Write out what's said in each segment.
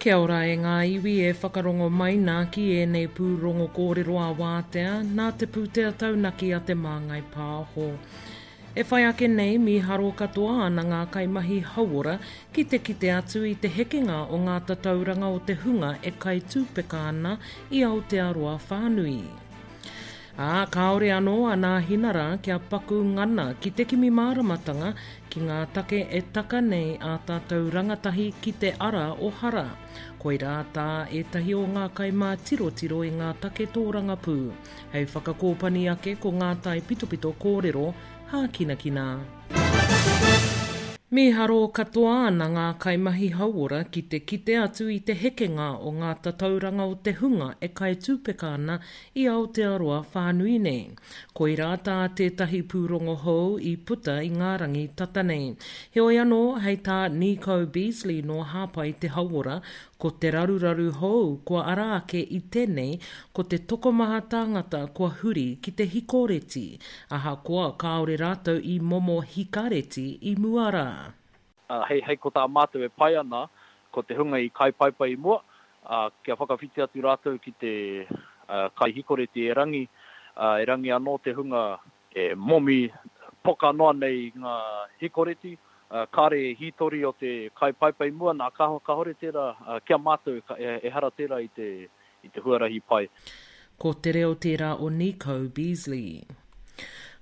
Kia ora e ngā iwi e whakarongo mai nā ki ēnei pūrongo kōrero ā-wātea nā te pūtea taunaki a Te Māngai Pāho. E whai ake nei, mīharo katoa ana ngā kaimahi hauora ki te kite atu i te hekenga o ngā tatauranga o te hunga e kai tūpeka ana i Aotearoa whānui. Ā, kāore anō a Nāhinara kia paku ngana ki te kimi māramatanga ki ngā take e taka nei ā tātou rangatahi ki te ara o hara. Koirā tā ētahi o ngā kaimātirotiro i ngā take tōrangapū. Hei whakakōpani ake ko ngā taipitopito kōrero hākinakina. Mīharo katoa ana ngā kaimahi hauora ki te kite atu i te hekenga o ngā tatauranga o te hunga e kai tūpeka ana i Aotearoa whānui nei. Koirā tā tētahi pūrongo hou i puta i ngā rangi tata nei. Heoi anō, hei tā Nico Beazley nō Hāpai Te Hauora, ko te raruraru hou kua ara ake i tenei ko te tokomaha tāngata kua huri ki te hikoreti, ahakoa kāore rātou i momo hikareti i mua rā. Ā, hei, hei ko tā mātou e pai ana, ko te hunga i kai paipai i mua, ā, kia whakawhiti atu rātou ki te, ā, kai hikoreti erangi, ā, erangi anō te hunga e momi poka noa nei i ngā hikoreti, ā, kāre e hītori o te kai paipai i mua, nā, kāhore tērā, ā, ki a mātou, ehara tērā i te, i te huarahi pai. Ko te reo tērā o Nico Beazley.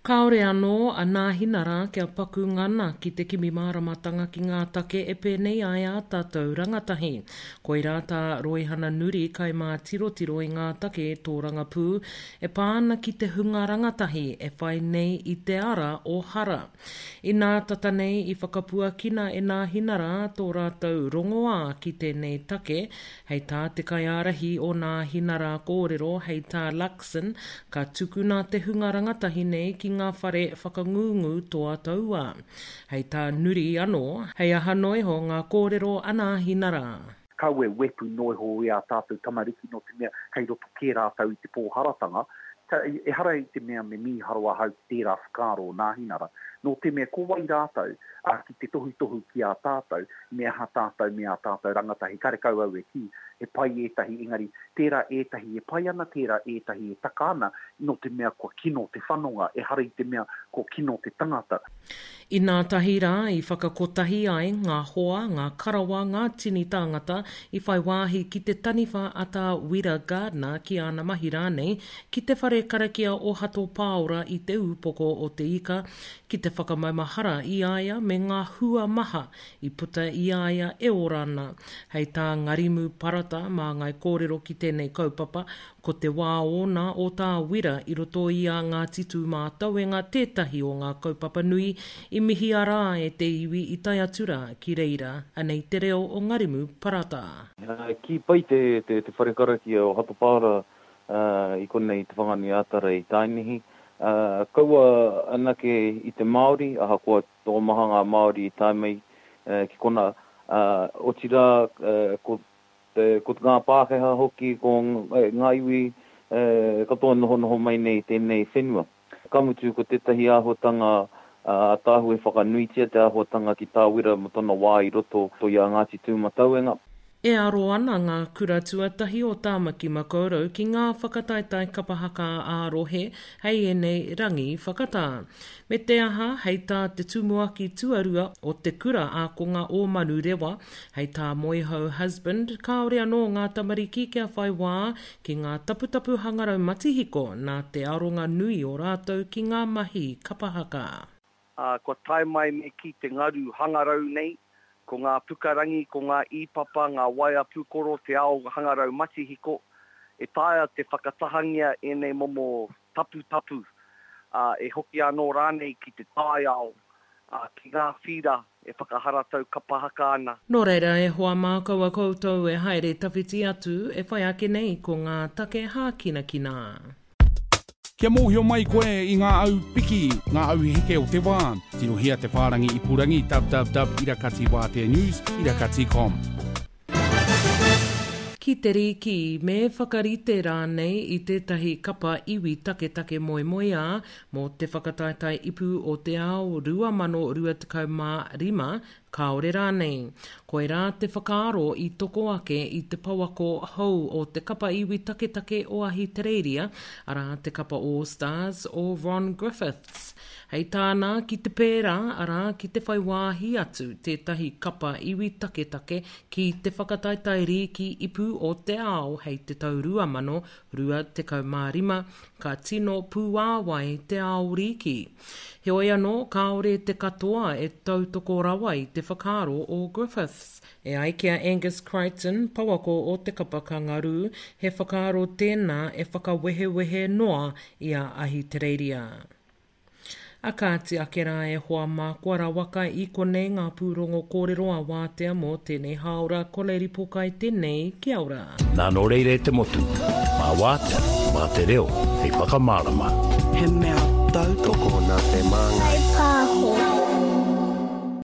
Kāore anō a Nāhinara kia paku ngana ki te kimi māramatanga ki ngā take e pēnei ai ā tātou rangatahi. Koirā tā Roihana Nuri kaimātirotiro i ngā take tōrangapū e pā ana ki te hunga rangatahi e whai nei i te ara o hara. Inā tata nei i whakapuakina e Nāhinara tō rātou rongoā ki tēnei take, Hei tā te kaiārahi o Nāhinara kōrero, hei tā Luxon, ka tukuna te hunga rangatahi nei ki ngā whare whakangungu toa tauā. Hei tā Nuri anō, hei aha noa iho ngā kōrero a Nāhinara. Kaua e wepu noa iho i ā tātou tamariki nō te mea kei roto kē rātou i te pōharatanga. Ehara i te mea me mīharo ahau ki tērā whakaaro o Nāhinara, nō te mea ko wai rātou, ā, ki te tohutohu ki a tātou, me aha tātou me ā tātou rangatahi, karekau au e kī, he pai ētahi, engari, tērā ētahi e pai ana, tērā ētahi e taka ana, nō te mea kua kino te whanonga, ehara i te mea kua kino te tangata. Inā tahi rā i whakakotahi ai ngā hoa, ngā karawa, ngā tini tāngata i whai wāhi ki te taniwha a Tā Wira Gardiner ki āna mahi rānei ki te whare karakia o Hato Pāora i Te Ūpoko o Te Ika ki te whakamaumahara i a ia me ngā hua maha i puta i a ia e ora ana. Hei tā Ngarimu Parata māngai kōrero ki tēnei kaupapa, ko te wā ōna o Tā Wira i roto i a Ngāti Tūmātauenga tētahi o ngā kaupapa nui i mihia rā e te iwi i tae atu rā ki reira. Anei te reo o Ngarimu Parata. Kī pai te whare karakia o Hato Pāora i konei i Te Whanganui-ā-Tara i Tainihi. Kaua anake i te Māori, ahakoa tokomaha ngā Māori i tae mai ki konā, otirā ko ko ngā Pākehā hoki, ko ngā iwi katoa nohonoho mai nei i tēnei whenua. Ka mutu ko tētahi āhuatanga ātaahua i whakanuitia te āhuatanga ki tā Wira mō tōna wā i roto i a Ngāti Tūmatauenga. E aro ana ngā kura tuatahi o Tāmaki Makaurau ki ngā whakataetae kapa haka ā-rohe hei ēnei rangi whakatā. Me te aha, hei tā te tumuaki tuarua o te kura ākonga o Manurewa, hei tā Moehau Husband, kāore anō ngā tamariki kia whai wā ki ngā taputapu hangarau matihiko nā te aronga nui o rātou ki ngā mahi kapa haka. Ā, kua tae mai me kī te ngaru hangarau nei, ko ngā pukarangi, ko ngā īpapa, ngā waea pūkoro, te ao hangarau matihiko, e taea te whakatahangia ēnei momo taputapu, ā, e hoki anō rānei ki te taiao, ā, ki ngā whīra e whakaharatau kapa haka ana. Nō reira, e hoa mā, kaua koutou e haere tawhiti atu, e whai ake nei ko ngā take hākinakina. Kia mōhio mai koe i ngā au piki, ngā au heke o te wā, tirohia te whārangi ipurangi www irakatiwāteanews irakati com. Ki te rīki, me whakarite rānei i tētahi kapa iwi taketake moemoeā mō te whakataetae ipu o te ao 2025, kāore rānei. Koirā te whakaaro i toko ake i te pouako hou o te kapa iwi taketake o Ahitereiria, arā te kapa All Stars o Ron Griffiths. Hei tāna, ki te pērā, arā, ki te whai wāhi atu tētahi kapa iwi taketake ki te whakataetae rīki ipu o te ao hei te tau 2025, ka tino pūāwai te ao rīki. Heoi anō, kāore te katoa e tautoko rawa i te whakaaro o Griffiths. E ai ki a Angus Crichton, pouako o te kapa Kangaroo, he whakaaro tēnā e whakawehewehe noa i a Ahitereiria. A kāti ake rā e hoa mā kua rawaka i konei ngā pūrongo kōrero a Wātea mō tēnei hāora Koleri Pokai tēnei kia ora. Nā nō reira e te motu, mā Wātea, mā te reo hei whakamārama. He mea tautoko. Tokona te māngai. Whaipāho.